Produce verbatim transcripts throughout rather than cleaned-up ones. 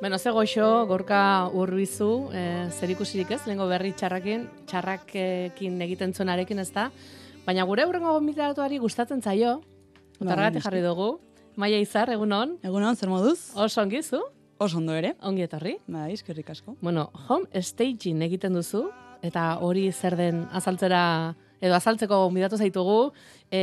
Bueno, ze goxo, Gorka Urbizu, e, zer ikusirik ez, lehenko berri txarrakin, txarrakekin egiten zuenarekin ez da, baina gure hurrengo gonbidatuari gustatzen zaio, eta horregatik jarri dugu, Maia Izar, egunon? Egunon, zer moduz? Oso ongi zu? Oso ondo ere. Ongi etorri? Bai, eskerrik asko. Bueno, home staging egiten duzu, eta hori zer den azaltzera, edo azaltzeko gonbidatu zaitugu, e,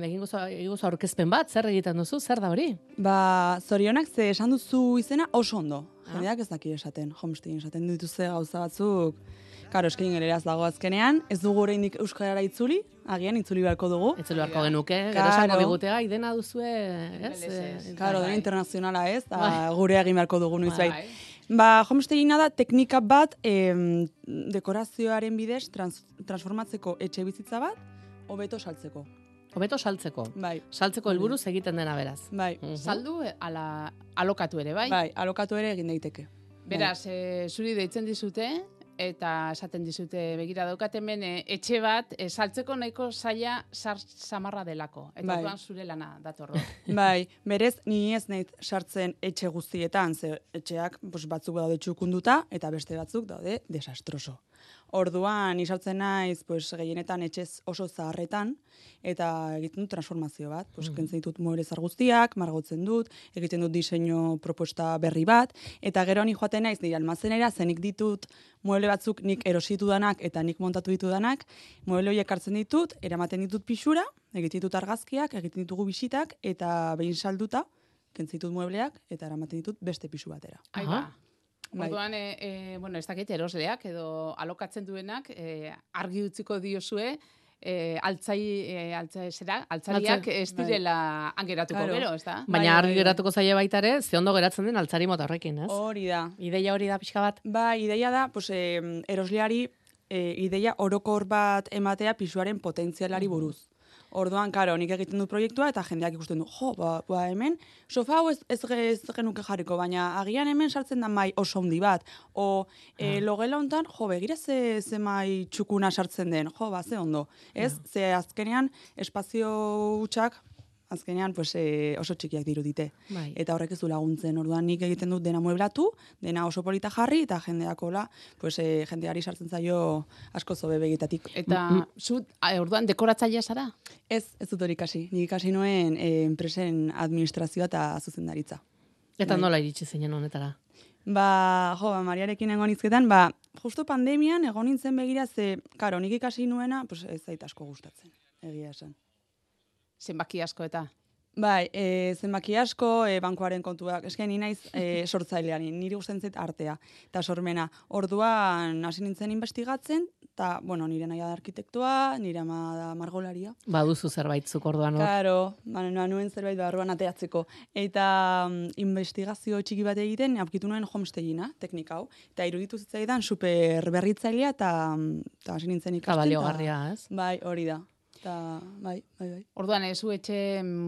egingo zu aurkezpen bat, zer egiten duzu, zer da hori? Ba, zorionak ze esan duzu izena oso ondo. Jendeak ez daki esaten, homestaging esaten dituzte gauza batzuk. Karo, eskin geleraz dago azkenean, ez dugu oraindik euskarara itzuli, agian itzuli beharko dugu. Itzuli beharko genuke, gero esango digutega, idena duzue, ez? Karo, dena internazionala ez, da gure egin beharko dugu noizbait. Ba, homestagina da teknika bat em, dekorazioaren bidez trans, transformatzeko etxe bizitza bat, hobeto saltzeko. Hobeto saltzeko. Bai. Saltzeko helburuz egiten dena beraz. Bai. Uh -huh. Saldu ala alokatu ere, bai? Bai, alokatu ere egin daiteke. Beraz, e, zuri deitzen dizute, eta esaten dizute begira daukat hemen e, etxe bat e, saltzeko nahiko zaila sar samarra delako. Eta bai. Orduan zure lana datorro. Bai, berez ni ez naiz sartzen etxe guztietan, ze etxeak pues, batzuk daude txukunduta eta beste batzuk daude desastroso. Orduan, isartzen naiz, pues, gehienetan etxez oso zaharretan, eta egiten dut transformazio bat. Pues, mm. Kentzen ditut mueble zar guztiak, margotzen dut, egiten dut diseinu proposta berri bat, eta gero ni joaten naiz nire almazenera, zenik ditut mueble batzuk nik erositu danak eta nik montatu ditu danak, mueble horiek hartzen ditut, eramaten ditut pixura, egiten ditut argazkiak, egiten ditugu bisitak, eta behin salduta, kentzen ditut muebleak, eta eramaten ditut beste pisu batera. Aiba. Orduan, e, e, bueno, ez dakit erosleak edo alokatzen duenak e, argi utziko diozue e, altzai, e, altzai, zera, altzariak ez direla angeratuko claro. Gero, ez da? Baina argi geratuko zaie baita ere, ze ondo geratzen den altzari mota horrekin, ez? Hori da. Ideia hori da pixka bat? Ba, ideia da, pues, e, erosleari e, ideia orokor bat ematea pisuaren potentzialari buruz. Orduan, karo, nik egiten dut proiektua eta jendeak ikusten du, jo, ba, ba hemen, sofa hau ez, ez, ez genuke jarriko, baina agian hemen sartzen da mai oso handi bat, o e, ah. logela hontan, jo, begira ze, ze mai txukuna sartzen den, jo, ba, ze ondo, ez? Ah. Ze azkenean, espazio hutsak, azkenean pues, e, oso txikiak dirudite. Bai. Eta horrek ez du laguntzen. Orduan nik egiten dut dena mueblatu, dena oso polita jarri, eta jendeakola, pues, e, jendeari sartzen zaio asko zobe begitatik. Eta mm -hmm. zu, orduan, dekoratzailea zara? Ez, ez dut hori ikasi. Nik ikasi nuen e, enpresen administrazioa eta zuzendaritza. Eta bai. Nola iritsi zinen honetara? Ba, jo, ba, Mariarekin egon izketan, ba, justo pandemian egon nintzen begira, ze, karo, nik ikasi nuena, pues, ez zait asko gustatzen, egia esan. Zenbaki asko eta? Bai, e, zenbaki asko, e, bankuaren kontuak. Eske ni naiz e, sortzailean, niri gustatzen zait artea eta sormena. Orduan hasi nintzen investigatzen, eta, bueno, nire naia da arkitektoa, nire ama da margolaria. Baduzu zerbait zuk orduan hor. Claro, ba, nuen zerbait barruan ateatzeko. Eta um, investigazio txiki bat egiten, aurkitu nuen homestagina, teknika hau. Eta iruditu zitzaidan super berritzailea, eta hasi nintzen ikasten. Eta baliogarria, ez? Bai, hori da. Ta, bai, bai, bai. Orduan, ez etxe,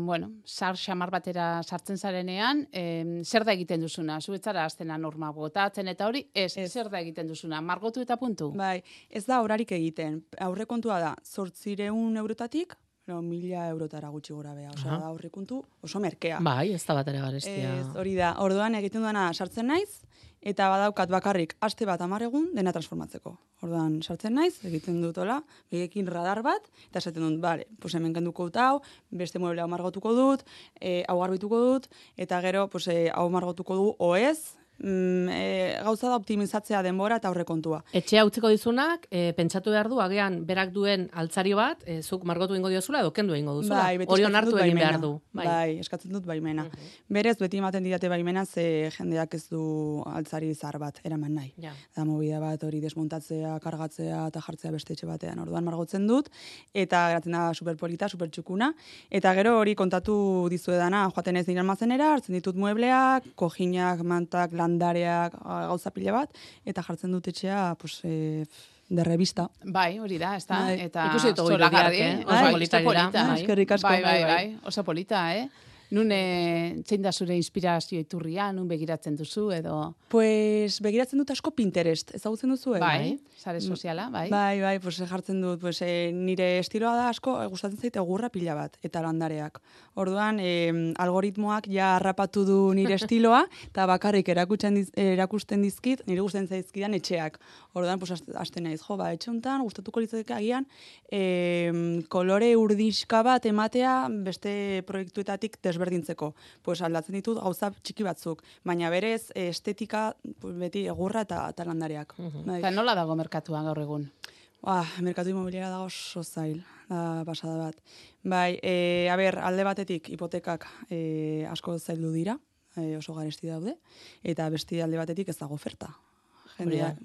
bueno, sar xamar batera sartzen zarenean, em, zer da egiten duzuna? Zu etzara aztena norma botatzen eta hori, ez, ez, zer da egiten duzuna? Margotu eta puntu? Bai, ez da horarik egiten. Aurrekontua da, zortzireun eurotatik, no, mila eurotara gutxi gora beha. Osa, da aurrekontu oso merkea. Bai, ez da bat ere garestia. Ez, hori da. Orduan egiten duena sartzen naiz, eta badaukat bakarrik aste bat hamar egun dena transformatzeko. Orduan sartzen naiz, egiten dut hola, begekin radar bat, eta esaten dut, bale, pues hemen kenduko dut hau, beste mueble hau margotuko dut, e, hau garbituko dut, eta gero, pues, e, hau margotuko du, o ez, mm, e, gauza da optimizatzea denbora eta aurrekontua. Etxea utziko dizunak, e, pentsatu behar du, agian berak duen altzari bat, e, zuk margotu ingo diozula, edo kendu ingo duzula. Bai, beti hori onartu egin behar du. Bai. bai, eskatzen dut baimena. Uh -huh. Berez, beti ematen didate baimena, ze jendeak ez du altzari zahar bat eraman nahi. Ja. Da movida bat hori desmontatzea, kargatzea eta jartzea beste etxe batean. Orduan margotzen dut, eta geratzen da superpolita, supertxukuna. Eta gero hori kontatu dizuedana, joaten ez nire almazenera, hartzen ditut muebleak, kojinak, mantak, landareak, gauza pila bat, eta jartzen dut etxea, pues, e, de revista. Bai, hori da, ez da? Bai. Eta ikusi dut hori diak, eh? Oso polita dira. Eskerrik asko. Bai, bai, bai, oso polita, eh? Nun, e, zein da zure inspirazio iturria, nun begiratzen duzu, edo... Pues, begiratzen dut asko Pinterest, ezagutzen duzu, eh? Bai, sare soziala, bai. Bai, bai, pues, jartzen dut, pues, e, nire estiloa da asko, e, gustatzen zaite egurra pila bat, eta landareak. Orduan, e, algoritmoak ja harrapatu du nire estiloa, eta bakarrik erakusten, diz, erakusten dizkit, nire gustatzen zaizkidan etxeak. Orduan, pues, hasten naiz, jo, ba, etxe honetan, gustatuko litzateke agian, e, kolore urdixka bat ematea beste proiektuetatik desberdintzeko. Pues, aldatzen ditut gauza txiki batzuk, baina berez estetika pues, beti egurra eta, eta landareak. Uh-huh. Bai. Eta nola dago merkatua gaur egun? Ah, merkatu inmobiliara dago oso zail, da pasada bat. Bai, e, a ber, alde batetik hipotekak e, asko zaildu dira, e, oso garesti daude, eta beste alde batetik ez dago oferta. Jendeak,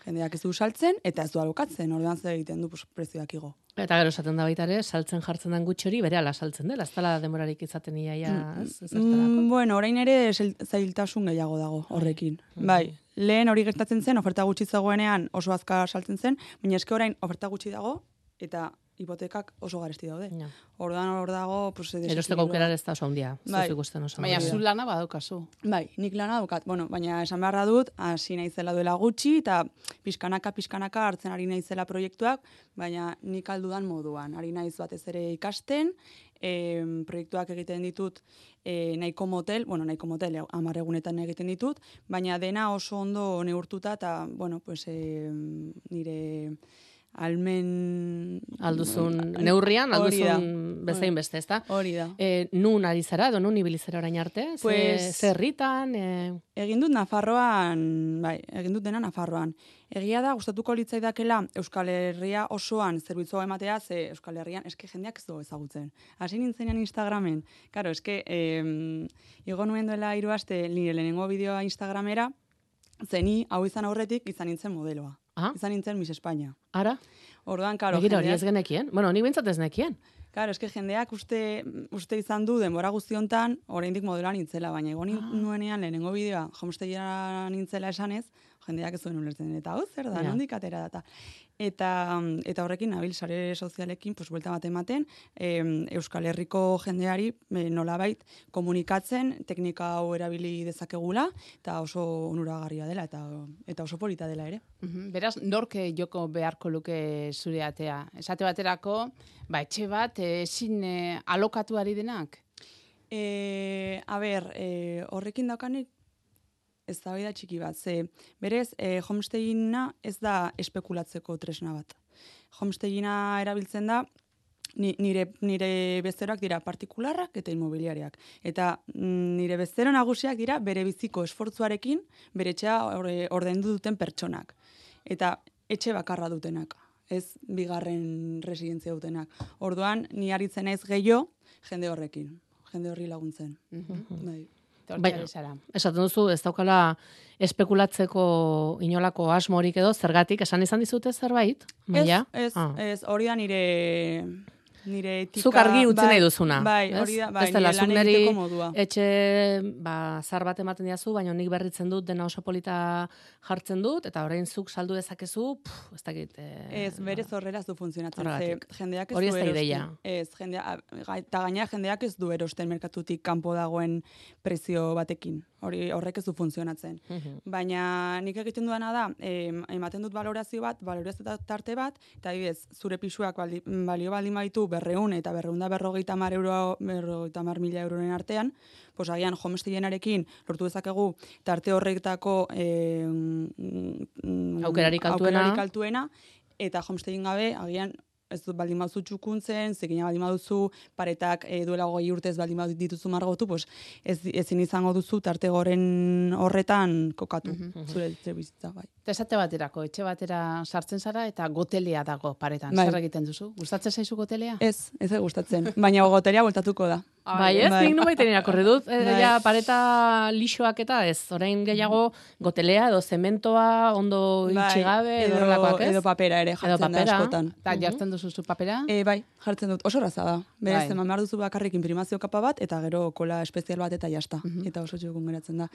jendeak ez du saltzen, eta ez du alokatzen, orduan zer egiten du pues, prezioak igo. Eta gero esaten da baita ere, saltzen jartzen den gutxi hori bere ala saltzen dela, ez dela demorarik izaten iaia ez, mm, bueno, orain ere zailtasun gehiago dago horrekin. Mm. Bai, lehen hori gertatzen zen, oferta gutxi zegoenean oso azkar saltzen zen, baina eske orain oferta gutxi dago, eta hipotekak oso garesti daude. Ja. Orduan hor dago, pues erosteko aukera ez da oso handia. Bai. Baina zu lana badaukazu. Bai, nik lana daukat. Bueno, baina esan beharra dut, hasi naizela duela gutxi eta pixkanaka pixkanaka hartzen ari naizela proiektuak, baina nik aldudan moduan. Ari naiz batez ere ikasten, e, proiektuak egiten ditut e, nahiko motel, bueno, nahiko motel hamar egunetan egiten ditut, baina dena oso ondo neurtuta eta, bueno, pues e, nire almen... Alduzun neurrian, alduzun bezain beste, ezta? Hori da. E, nun ari zara, edo nun ibilizera orain arte? Pues, Zerritan? E... Egin dut Nafarroan, bai, egin dut dena Nafarroan. Egia da, gustatuko litzaidakela Euskal Herria osoan zerbitzua ematea, ze Euskal Herrian, eske jendeak ez du ezagutzen. Hasi nintzenean Instagramen, karo, eske, eh, igo nuen duela hiru aste nire lehenengo bideoa Instagramera, zeni hau izan aurretik izan nintzen modeloa. Ah? Izan nintzen Miss España. Ara? Orduan, karo, jendeak... hori ez genekien? Bueno, nik bintzat ez nekien. Karo, eske jendeak uste, uste izan du denbora guztiontan, oraindik modeloa nintzela, baina egon ah. nuenean lehenengo bideoa, homestegiera nintzela esanez, jendeak ez zuen ulertzen, eta hau zer da, ja. Nondik atera data. Eta, eta horrekin, nabil, sare sozialekin, pues, buelta bat ematen, e, Euskal Herriko jendeari e, nolabait komunikatzen, teknika hau erabili dezakegula, eta oso onuragarria dela, eta, eta oso polita dela ere. Uh-huh. Beraz, norke joko beharko luke zure atea? Esate baterako, ba, etxe bat, ezin e, alokatu ari denak? E, a ber, e, horrekin daukanik, ez da da txiki bat, ze berez, e, homestagina ez da espekulatzeko tresna bat. Homestagina erabiltzen da, nire, nire bezeroak dira partikularrak eta inmobiliariak. Eta nire bezero nagusiak dira bere biziko esfortzuarekin, bere etxea ordaindu duten pertsonak. Eta etxe bakarra dutenak, ez bigarren residentzia dutenak. Orduan, ni aritzen naiz gehiago jende horrekin, jende horri laguntzen. Uh-huh. Bai. Bai, esaten duzu, ez daukala espekulatzeko inolako asmorik edo, zergatik, esan izan dizute zerbait? Ez, ez, ah. ez, hori da nire... nire etika... Zuk argi utzi nahi duzuna. Bai, hori da, bai, nire lan egiteko modua. Etxe, ba, zar bat ematen diazu, baina nik berritzen dut, dena oso polita jartzen dut, eta orain zuk saldu dezakezu, pff, ez dakit... E, ez, berez horrela ez du funtzionatzen. Ze, jendeak ez hori du ez da erosten. ideia. Ez, jendea, eta gaina jendeak ez du erosten merkatutik kanpo dagoen prezio batekin. Hori horrek ez du funtzionatzen. Uh-huh. Baina nik egiten duana da, em, ematen dut valorazio bat, valorazio tarte bat, eta adibidez, zure pisuak baldi, balio baldin baitu berreun eta berreunda berrogeita mar euro, berrogeita mar mila euroren artean, pues agian homestegenarekin lortu dezakegu tarte horretako eh, aukerarik altuena. aukerarik altuena, eta homestegen gabe agian ez dut baldin baduzu txukuntzen, zekina baldin baduzu paretak e, duela goi urtez baldin badut dituzu margotu, pues ez, ezin izango duzu tarte goren horretan kokatu, uh-huh. zure etxe bizitza, bai. Eta esate baterako, etxe batera sartzen zara eta gotelea dago paretan. Bai. Zer egiten duzu? Gustatzen zaizu gotelea? Ez, ez da gustatzen. Baina gotelea bueltatuko da. Bai, ez, bai. Nik nubait irakurri dut. E, bai. Ja, pareta lixoak eta ez. Orain gehiago gotelea edo zementoa ondo itxigabe bai. edo horrelakoak, ez? Edo papera ere jartzen da askotan. Eta jartzen duzu zu papera? E, bai, jartzen dut. Oso raza da. Berez, bai. Eman behar duzu bakarrik imprimazio kapa bat, eta gero kola espezial bat eta jasta. Uh-huh. Eta oso txukun geratzen da.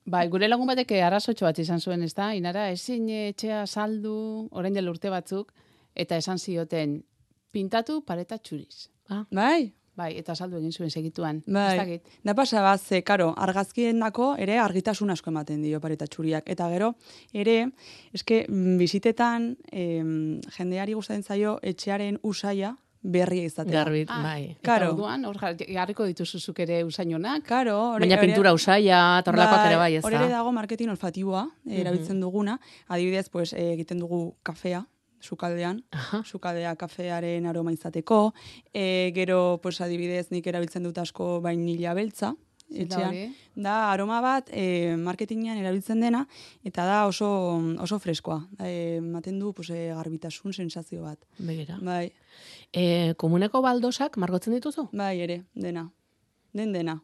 Bai, gure lagun batek arrazotxo bat izan zuen, ez da? Inara, ezin etxea saldu, orain dela urte batzuk, eta esan zioten, pintatu pareta txuriz. Ah. Bai? Bai, eta saldu egin zuen segituan. Bai, da pasa bat, ze, karo, argazkiendako ere argitasun asko ematen dio pareta txuriak. Eta gero, ere, eske, bizitetan, em, jendeari gustatzen zaio etxearen usaia berria izatea. Garbit, ah, bai. Eta orduan, hor jarriko dituzuzuk ere usainonak. Karo, baina pintura usaia, torlakoak ere bai, ez da. Hor ere dago marketing olfatiboa, erabiltzen duguna. Adibidez, pues, egiten dugu kafea, sukaldean, sukaldea kafearen aroma izateko, e, gero, pues, adibidez, nik erabiltzen dut asko vainilla beltza, etxean, da aroma bat e, marketingean erabiltzen dena, eta da oso, oso freskoa. E, maten du pues, e, garbitasun sensazio bat. Begira. Bai. E, komuneko baldosak margotzen dituzu? Bai, ere, dena. Den dena.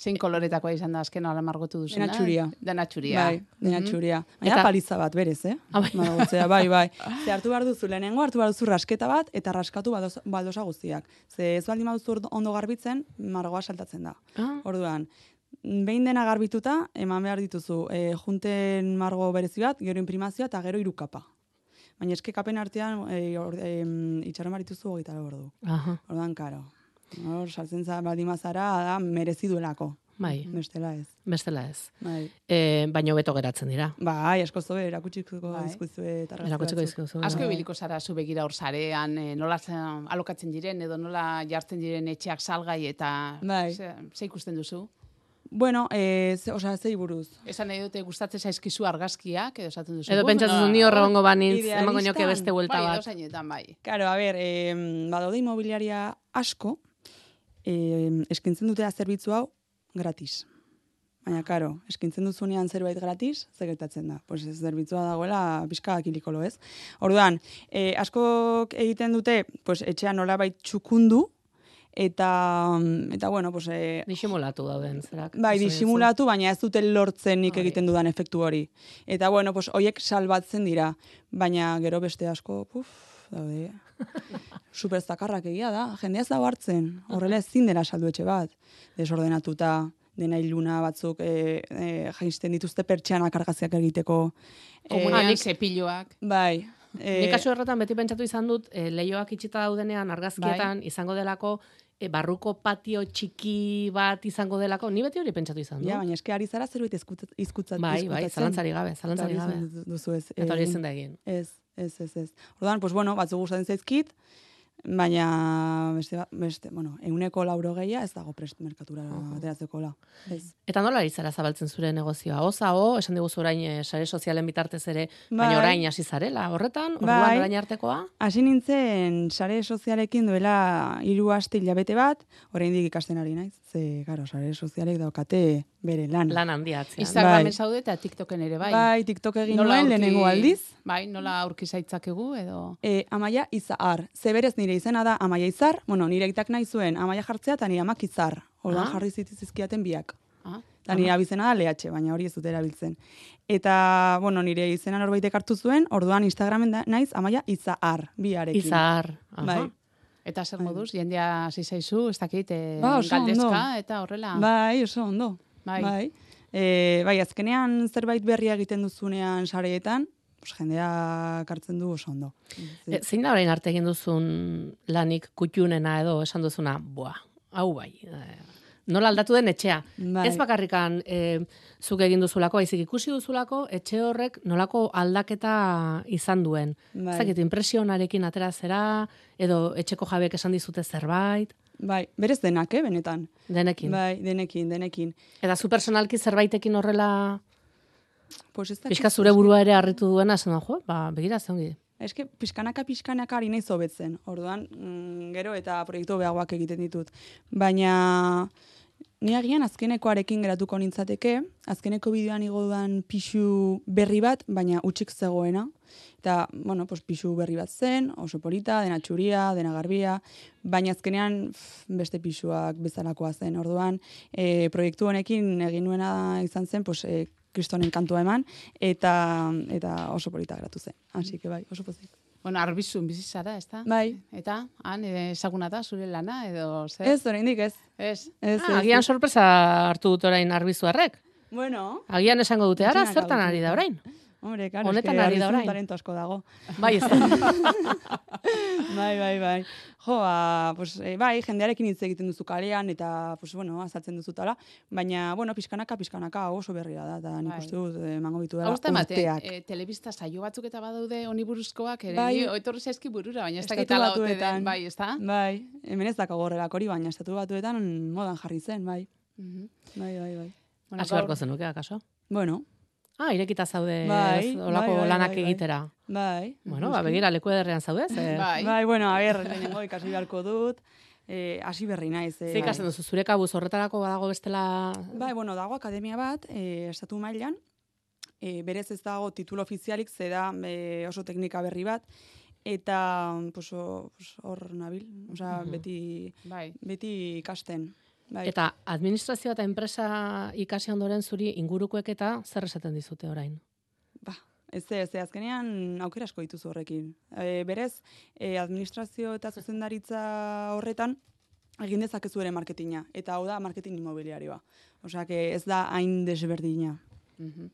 Zein koloretakoa izan da azken ala margotu duzuna? Dena txuria. Dena txuria. Bai, dena mm-hmm. txuria. Baina eta... paliza bat, berez, eh? Ah, bai. Margotzea, bai, bai. Ze hartu behar duzu lehenengo, hartu behar duzu rasketa bat, eta raskatu baldosa, baldosa guztiak. Ze ez baldin baduzu ondo garbitzen, margoa saltatzen da. Ah. Orduan, behin dena garbituta, eman behar dituzu, e, junten margo berezi bat, gero imprimazioa, eta gero irukapa. Baina eske kapen artean, e, e, itxaron barituzu hogeita lau ordu. Aha. Orduan, karo. Hor, saltzen za baldin bazara, da, merezi duelako. Bai. Bestela ez. Bestela ez. Bai. E, baino beto geratzen dira. Bai, asko zobe, erakutsiko dizkuzue eta erakutsiko dizkuzue. Asko ibiliko zara zu begira hor sarean, e, nola alokatzen diren edo nola jartzen diren etxeak salgai eta bai. ze, ze ikusten duzu? Bueno, eh, ze, osea, zei buruz. Esan nahi dute gustatzen zaizkizu argazkiak, edo esaten duzu. Edo pentsatzen ni horre gongo banintz, emango nioke beste buelta bai, bat. Bai, edozainetan, bai. Claro, a ber, eh, badaude inmobiliaria asko, eh, eskintzen dutela zerbitzu hau gratis. Baina, karo, eskintzen duzunean zerbait gratis, zer gertatzen da. Pues ez zerbitzua dagoela pixka kilikolo, ez? Orduan, eh, askok egiten dute, pues etxean nolabait txukundu, eta, eta bueno, pues... Eh, disimulatu dauden, zerak? Bai, disimulatu, baina ez dute lortzen nik egiten dudan efektu hori. Eta, bueno, pues hoiek salbatzen dira, baina gero beste asko, puf, daude... Superzakarrak egia da, jendea ez dago hartzen, horrela ezin dela saldu etxe bat, desordenatuta, dena iluna batzuk e, e, jaisten dituzte pertsianak argazkiak egiteko. Komunean e, zepiloak. Bai. E, Nik kasu errotan beti pentsatu izan dut, e, lehioak itxita daudenean argazkietan bai. Izango delako, e, barruko patio txiki bat izango delako, ni beti hori pentsatu izan dut. Ja, baina eske ari zara zerbait izkutzatzen. Bai, bai, zalantzari gabe, zalantzari gabe. Duzu ez. Eta hori ezin da egin. Ez, ez, ez, ez. Orduan, pues bueno, batzu gustatzen zaizkit, baina beste, beste, bueno, euneko lauro gehia ez dago prest merkatura ateratzeko la. Eta nola ari zara zabaltzen zure negozioa? Oza, o, esan diguzu orain e, sare sozialen bitartez ere, baina orain hasi zarela, horretan, orduan bai. Orain artekoa? Hasi nintzen sare sozialekin duela hiru aste hilabete bat, oraindik ikasten ari naiz, ze, karo, sare sozialek daukate bere lan. Lan handia atzean. Instagramen bai. Zaude eta TikToken ere, bai? Bai, TikTok egin nuen lehenengo aldiz. Bai, nola aurki zaitzakegu edo? E, Amaia Izar, zeberez nire izena da Amaia Izar, bueno, nire aitak nahi zuen Amaia jartzea eta nire amak Izar. Orduan jarri zitizizkiaten biak. Ah. Eta nire abizena da Lehatxe, baina hori ez dut erabiltzen. Eta, bueno, nire izena norbaitek hartu zuen, orduan Instagramen da, naiz Amaia Izar, biarekin. Izar, aha. Bai. Eta zer moduz, jendea hasi zaizu, ez dakit, e, ba, galdezka ondo. Eta horrela. Bai, oso ondo. Bai. Bai. E, bai, azkenean zerbait berria egiten duzunean sareetan, pues, jendea kartzen du oso ondo. E, zein da orain arte egin duzun lanik kutxunena edo esan duzuna, boa, hau bai, nola aldatu den etxea. Bai. Ez bakarrikan e, zuk egin duzulako, baizik ikusi duzulako, etxe horrek nolako aldaketa izan duen. Bai. Zakit, impresionarekin atera zera, edo etxeko jabeek esan dizute zerbait. Bai, berez denak, eh, benetan. Denekin. Bai, denekin, denekin. Eta zu personalki zerbaitekin horrela... Pues pixka zure burua ere harritu duena, esan jo, ba, begira zeongi. Eske, pixkanaka pixkanaka ari nahi zobetzen. Orduan, mm, gero eta proiektu behagoak egiten ditut. Baina, ni agian azkenekoarekin geratuko nintzateke, azkeneko bideoan igo dudan pixu berri bat, baina utxik zegoena. Eta, bueno, pues, pixu berri bat zen, oso polita, dena txuria, dena garbia, baina azkenean pff, beste pixuak bezalakoa zen. Orduan, e, proiektu honekin egin nuena izan zen, pues, e, Kristonen kantua eman, eta, eta oso polita geratu zen. Así que bai, oso pozik. Bueno, arbizun bizizara, ez da? Bai. Eta, han, ezaguna da, zure lana, edo zer? Ez, oraindik ez. Ez. Ez, ah, agian sorpresa hartu dut orain arbizuarrek. Bueno. Agian esango dute, ara, zertan ari da orain? Hombre, claro, Honetan ari da orain. talento asko dago. Bai, ez. bai, bai, bai. Jo, ba, pues, e, bai, jendearekin hitz egiten duzu kalean, eta, pues, bueno, azaltzen duzutala. Baina, bueno, pixkanaka, pixkanaka oso berria da, eta nik Bai. uste dut, emango bitu dela Hausta emate, urteak. e, telebista saio batzuk eta badaude honi buruzkoak, ere, Bai. oitorri zaizki burura, baina ez Estatu dakit ala ote Batuetan. den, bai, ez da? Bai, hemen ez dago horrelak hori, baina estatu batuetan modan jarri zen, bai. Mhm. Bai, bai, bai. Bueno, Hasi beharko zenuke, akaso? Bueno, Ah, irekita zaude Bai, ez, olako bai, bai, lanak bai, bai. egitera. bai. Bueno, ba, begira, leku ederrean zaudez. Eh? Bai. Bai, bueno, a ber, lehenengo ikasi beharko dut, eh, hasi berri naiz. Eh, Ze ikasten duzu, zure kabuz horretarako badago bestela... Bai, bueno, dago akademia bat, eh, estatu mailan, eh, berez ez dago titulo ofizialik, ze da eh, oso teknika berri bat, eta pues, o- pues, hor nabil, osea, Mhm. beti, Bai. beti ikasten. Bai. Eta administrazioa eta enpresa ikasi ondoren zuri ingurukoek eta zer esaten dizute orain? Ba, ez ez, ez, azkenean aukera asko dituzu horrekin. E, berez, e, administrazio eta zuzendaritza horretan, egin dezakezu ere marketinga, eta hau da marketing inmobiliarioa. Osea, que ez da hain desberdina. Mhm.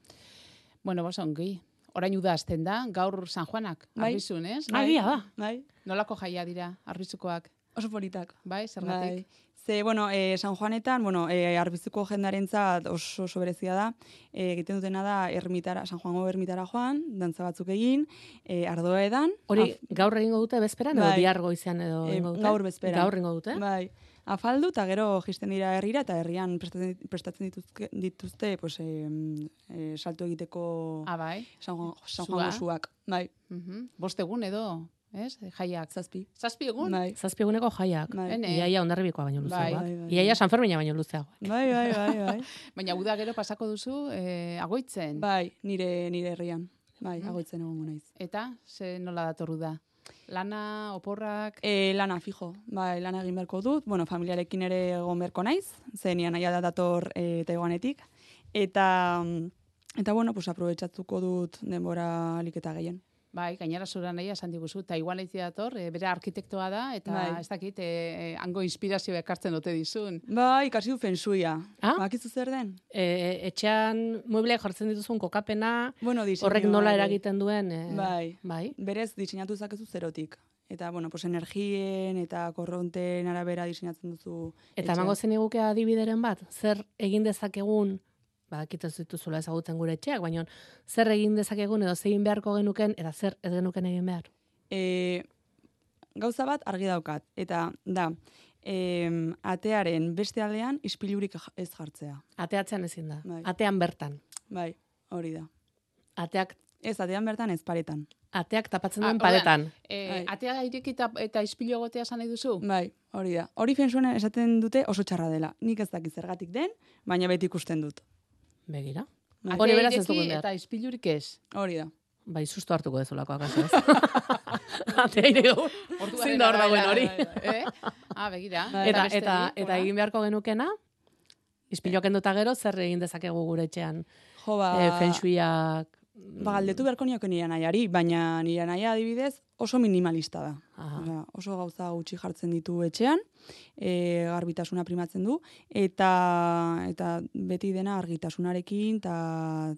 Bueno, bos ongi. Orain uda hasten da, gaur San Juanak, Bai. arbizun, ez? Agia da. Bai, Nolako jaia dira, arbizukoak, oso politak. bai, zergatik? Bai. Ze, bueno, e, San Juanetan, bueno, e, arbizuko jendarentzat oso, oso berezia da, e, egiten dutena da ermitara, San Juango ermitara joan, dantza batzuk egin, e, ardoa edan. Hori, af- gaur egingo dute bezperan, edo Bai. bihar goizean edo Eh, egingo dute? gaur bezperan. Gaur egingo dute? Bai, afaldu eta gero jisten dira herrira eta herrian prestatzen, prestatzen dituzke, dituzte pues, e, e, salto egiteko Ah, bai. San, Juan, San Sua. Juango suak. Bai, Mhm. Bost egun edo, ez? Jaiak. zazpi. Zazpi egun? Bai, Zazpi eguneko jaiak. bai. Ene. Iaia ondarribikoa baino Bai. luzeagoak. Bai, bai, Iaia bai. San Fermina baino luzeagoak. Bai, bai, bai, bai. Baina uda gero pasako duzu eh, agoitzen. Bai, nire, nire herrian. Bai, Mhm. agoitzen egongo naiz. Eta, ze nola datorru da? Lana, oporrak, E, lana fijo, bai, lana egin beharko dut, bueno, familiarekin ere egon beharko naiz, zenian naia da dator e, Taiwanetik, eta, eta bueno, pues aprobetxatuko dut denbora alik eta gehien. bai, gainera zura nahi esan diguzu, Taiwan eitzia dator, eh, bere arkitektoa da, eta Bai. ez dakit, eh, hango inspirazio ekartzen dute dizun. Bai, ikasi du fensuia. Ah? Bakizu zer den? E, etxean muebleak jartzen dituzun kokapena, Bueno, diseinua horrek nola ere. eragiten duen... E, Bai. Bai. Berez diseinatu zakezu zerotik. Eta, bueno, pues energien eta korronten arabera diseinatzen duzu. Eta etxea. emango zeniguke adibideren bat, zer egin dezakegun, badakit ez dituzula ezagutzen gure etxeak, baina zer egin dezakegun edo zein beharko genuken, eta zer ez genuken egin behar. E, gauza bat argi daukat. Eta, da, em, atearen beste aldean ispilurik ja- ez jartzea. Ateatzean ezin da. Bai. Atean bertan. Bai, hori da. Ateak, Ez, atean bertan ez paretan. ateak tapatzen Ah, duen orduan, paretan. Eh, Bai. atea irekita eta ispilu egotea esan nahi duzu? Bai, hori da. Hori fensuan esaten dute oso txarra dela. Nik ez dakit zergatik den, baina beti ikusten dut. Begira. Bai. Hori Atea beraz ez ireki dugun behar. eta ispilurik ez. Hori da. Bai, susto hartuko dezulako akaso ez. Atea iregu. Orduaren Zein da hor dagoen arabera, hori. bai, bai. Eh? Ah, begira. Bai. Eta, beste eta, bi, eta hola. egin beharko genukena, ispiloak enduta gero, zer egin dezakegu gure etxean. Jo, ba, E, fensuiak... ba galdetu beharko nioke nire nahiari, baina nire naia adibidez oso minimalista da. Aha. Osea, oso gauza gutxi jartzen ditu etxean, e, garbitasuna primatzen du, eta eta beti dena argitasunarekin eta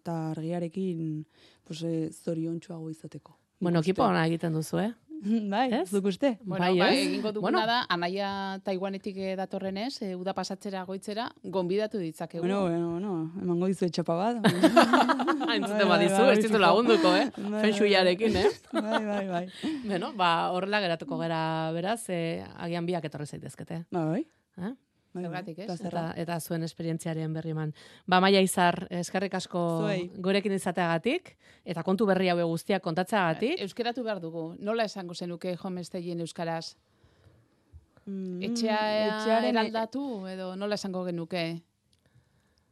ta argiarekin pues, e, zoriontsuago izateko. Bueno, Nik uste. ekipo ona egiten duzu, eh? Bai, Ez? zuk uste? Bueno, Bai, bai, ez? egingo duguna Bueno. da, anaia Taiwanetik eh, datorrenez, e, uda pasatzera goitzera, gonbidatu ditzakegu. Bueno, bueno, bueno, emango dizu etxapa bat. Entzuten Bai, badizu, bai, ez ditu fijo. lagunduko, eh? Bai, bai, Fensuiarekin, eh? Bai, bai, bai. Bueno, ba, horrela geratuko gara, beraz, eh, agian biak etorri zaitezkete. Bai, Eh? bai, bai. Zergatik, ez? Eta zerra. Eta, eta zuen esperientziaren berri eman. Ba, Maia Izar, eskerrik asko Zuei. gurekin izateagatik, eta kontu berri haue guztiak kontatzeagatik. Euskeratu behar dugu. Nola esango zenuke homesteien euskaraz? Mm, Etxea etxearen- eraldatu edo nola esango genuke?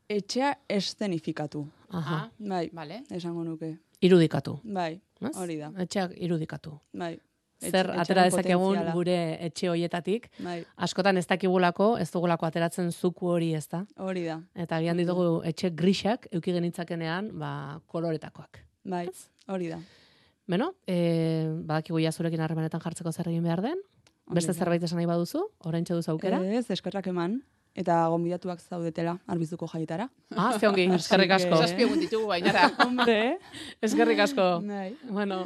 Etxea eszenifikatu. Aha. Ah, Bai, vale. esango nuke. Irudikatu. Bai, Ez? hori da. Etxeak irudikatu. Bai. Zer Etxe- atera etxearen dezakegun potentziala. gure etxe hoietatik, Bai, askotan ez dakigulako, ez dugulako ateratzen zuku hori, ez da? hori da. Eta agian ditugu etxe grisak, euki genitzakenean, ba, koloretakoak. Bai, hori da. Beno, e, badakigu ja zurekin harremanetan jartzeko zer egin behar den. Beste Ongi da. zerbait esan nahi baduzu, oraintxe duzu aukera. Ez, eskerrak eman. eta gonbidatuak zaudetela Arbizuko jaietara. Ah, ze ongi, eskerrik asko. Así que- Zazpi egun ditugu bainara. Hombre, Eskerrik asko. bai. Bueno,